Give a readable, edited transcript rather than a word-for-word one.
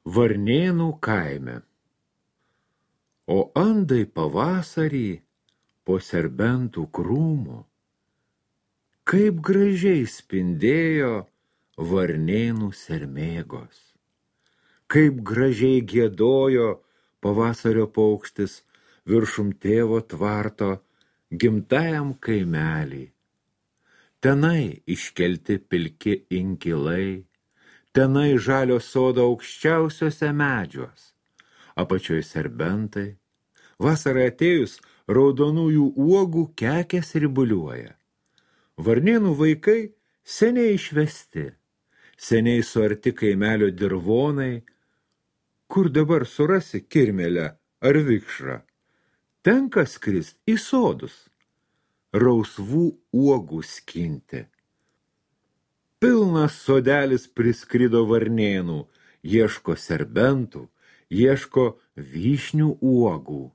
Varnėnų kaime. O andai pavasarį po serbentų krūmų, kaip gražiai spindėjo varnėnų sermėgos, kaip gražiai giedojo pavasario paukštis viršum tėvo tvarto gimtajam kaimelį. Tenai iškelti pilki inkilai, tenai žalio sodo aukščiausiuose medžiuos, apačioj serbentai, vasarai atėjus raudonųjų uogų kekės ribuliuoja. Varnėnų vaikai seniai išvesti, seniai suarti kaimelio dirvonai, kur dabar surasi kirmėlę ar vikšrą, tenka skrist į sodus, rausvų uogų skinti. Pilnas sodelis priskrido varnėnų, ieško serbentų, ieško vyšnių uogų.